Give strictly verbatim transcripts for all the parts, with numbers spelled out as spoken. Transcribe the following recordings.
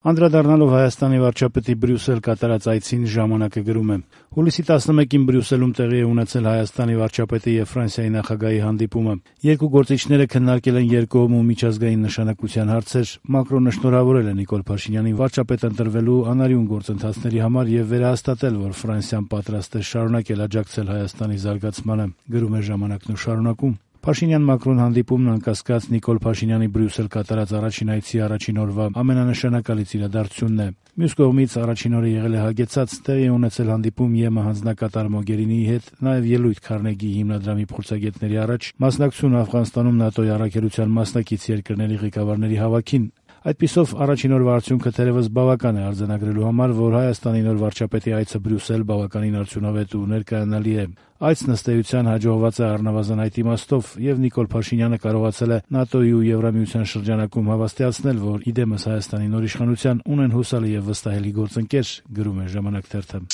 Անդրադառնալով Հայաստանի վարչապետի Բրյուսել կատարած այցին ժամանակը գրում է. Հուլիսի տասնմեկին Բրյուսելում տեղի է ունեցել Հայաստանի վարչապետի եւ Ֆրանսիայի նախագահի հանդիպումը։ Երկու գործիչները քննարկել են երկկողմ ու միջազգային նշանակության հարցեր։ Մակրոնը շնորհավորել է Նիկոլ Փաշինյանին վարչապետ ընտրվելու անարյուն գործընթացների համար եւ վերահաստատել, որ Ֆրանսիան պատրաստ է շարունակել աջակցել Հայաստանի զարգացմանը, գրում է ժամանակն ու շարունակում. Փաշինյան-Մակրոն հանդիպումն անկասկած Նիկոլ Փաշինյանի Բրյուսել կատարած առաջին այցի առաջին օրվա ամենանշանակալից իրադարձությունն է։ Մյուս կողմից առաջին օրը եղել է հագեցած, տեղի է ունեցել հանդիպում ԵՄ հանձնակատար Մոգերինիի հետ, նաև ելույթ Քարնեգի հիմնադրամի փորձագետների առաջ, մասնակցություն Աֆղանստանում ՆԱՏՕ-ի առաքելության մասնակից երկրների ղեկավարների հավաքին։ Այդպիսով առաջին օրվա արդյունքը թերևս բավական է արձանագրելու համար, որ Հայաստանի նոր վարչապետի այցը Բրյուսել բավականին արդյունավետ ու ներկայանալի է։ Այցն ըստ էության հաջողված է առնվազն այդ իմաստով, եւ Նիկոլ Փաշինյանը կարողացել է ՆԱՏՕ-ի ու Եվրամիության շրջանակում հավաստիացնել, որ իդեմս Հայաստանի նոր իշխանության ունեն հուսալի եւ վստահելի գործընկեր, գրում է ժամանակ թերթը։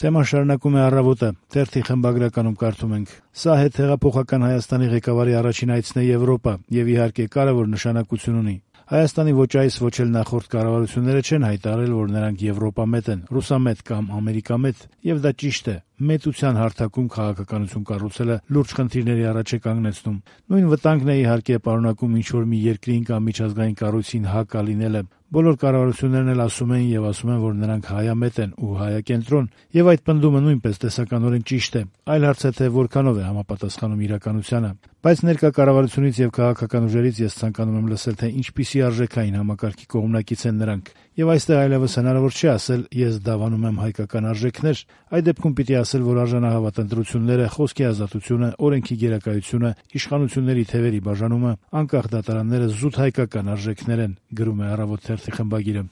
Թեման շարունակում է Առավոտը։ Թերթի խմբագրականում կարդում ենք. Սա հետհեղափոխական Հայաստանի ղեկավարի առաջին այցն է Եվրոպա եւ իհարկե կարեւոր նշանակություն ունի։ Հայաստանի ոչ այս, ոչ էլ նախորդ կառավարությունները չեն հայտարարել, որ նրանք եվրոպամետ են, ռուսամետ կամ ամերիկամետ, եւ դա ճիշտ է։ Մետության հարթակում քաղաքականություն կառուցելը լուրջ խնդիրների առաջ է կանգնեցնում։ Նույն վտանգն է իհարկե պարունակում ինչ-որ մի երկրին կամ միջազգային կառույցին հակա լինելը։ Բոլոր կառավարություններն էլ ասում են եւ ասում են, որ նրանք հայամետ են ու հայակենտրոն, եւ այդ պնդումը նույնպես տեսականորեն ճիշտ է։ Այլ հարց է, թե որքանով է համապատասխանում իրականությանը։ Բայց ներկա կառավարությունից եւ քաղաքական ուժերից ես ցանկանում եմ լսել, թե ինչպիսի արժեքային համակարգի կողմնակից են նրանք։ Եվ այստեղ այլևս հնարավոր չէ ասել ես դավանում եմ հայկական արժեքներ, այդ դեպքում պիտի ասել, որ արժանահավատ ընտրությունները, խոսքի ազատությունը, օրենքի գերակայությունը, իշխանությունների թևերի բաժանումը, անկախ դատարանները զուտ հայկական արժեքներ են, գրում է Առավոտ թերթի խմբագիրը։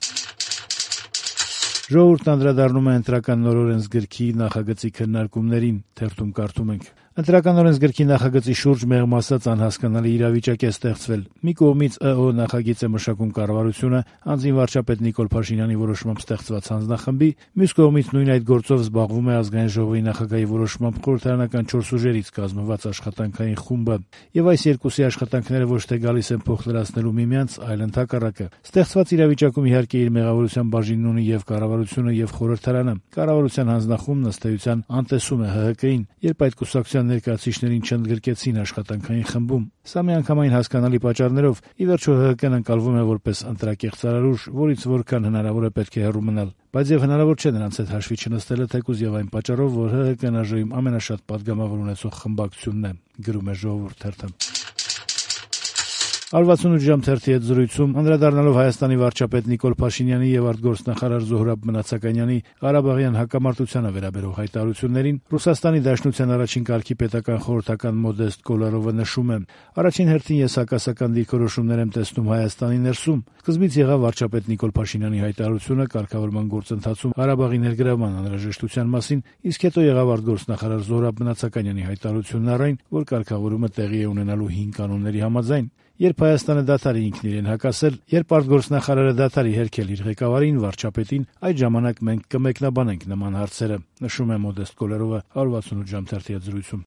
Ժողովուրդն անդրադառնում է ընտրական նոր օրենսգրքի նախագծի քննարկումներին, թերթում կարդում ենք. Ընտրական օրենսգրքի նախագծի շուրջ մեղմ ասած անհասկանալի իրավիճակ է ստեղծվել։ Մի կողմից ԸՕ նախագիծ է մշակում կառավարությունը, անձին վարչապետ Նիկոլ Փաշինյանի որոշմամբ ստեղծված հանձնախմբի, մյուս կողմից նույն այդ գործով զբաղվում է Ազգային ժողովի նախագահի որոշմամբ խորհրդարանական չորս ուժերից կազմված աշխատանքային խումբը։ Եվ այս երկուսի աշխատանքները ոչ թե գալիս են փոխլրացնելու միմյանց, այլ ընդհակառակը։ Ստեղծված իրավիճակում իհարկե իր մեղավորության բաժինն ունի եւ կառավարությունը եւ խորհրդարանը։ Կառավարության հանձնախումբն ըստ էության անտեսում է ՀՀԿ-ին, երբ այդ կուսակցության ներկայացուցիչներին չընդգրկեցին աշխատանքային խմբում։ Սա միանգամայն հասկանալի պատճառներով ի վերջո ՀՀԿ-ն ընկալվում է որպես ընտրակեղծարարուժ, որից որքան հնարավոր է պետք է հեռու մնալ։ Բայց եւ հնարավոր չէ նրանց հետ հաշվի չնստելը, թեկուզ եւ այն պատճառով, որ ՀՀԿ-ն ԱԺ-ում ամենաշատ պատգամավոր ունեցող խմբակցությունն է, գրում է Ժողովուրդ թերթը։ Արվաթսունութ ժամ թերթի հետ զրույցում անդրադառնալով Հայաստանի վարչապետ Նիկոլ Փաշինյանի եւ արտգործնախարար Զոհրաբ Մնացականյանի Ղարաբաղյան հակամարտությանը վերաբերող հայտարարություններին Ռուսաստանի Դաշնության առաջին կարգի պետական խորհրդական Մոդեստ Կոլարովը նշում է. Առաջին հերթին ես հակասական դիրքորոշումներ եմ տեսնում Հայաստանի ներսում։ Սկզբից եղավ վարչապետ Նիկոլ Փաշինյանի հայտարարությունը կարգավորման գործընթացում Ղարաբաղի ներգրավման անհրաժեշտության մասին, իսկ հետո եղավ արտգործնախարար Զոհրաբ Մնացականյանի հայտարարությունն առ այն, որ կարգավորումը տեղի է ունենալու հին կանոնների համաձայն։ Երբ Հայաստանը դադարի ինքն իրեն հակասել, երբ արտգործնախարարը դադարի հերքել իր ղեկավարին, վարչապետին, այդ ժամանակ մենք կմեկնաբանենք նման հարցերը, նշում է Մոդեստ Կոլարովը արվաթսունութ ժամ թերթի հետ զրույցում։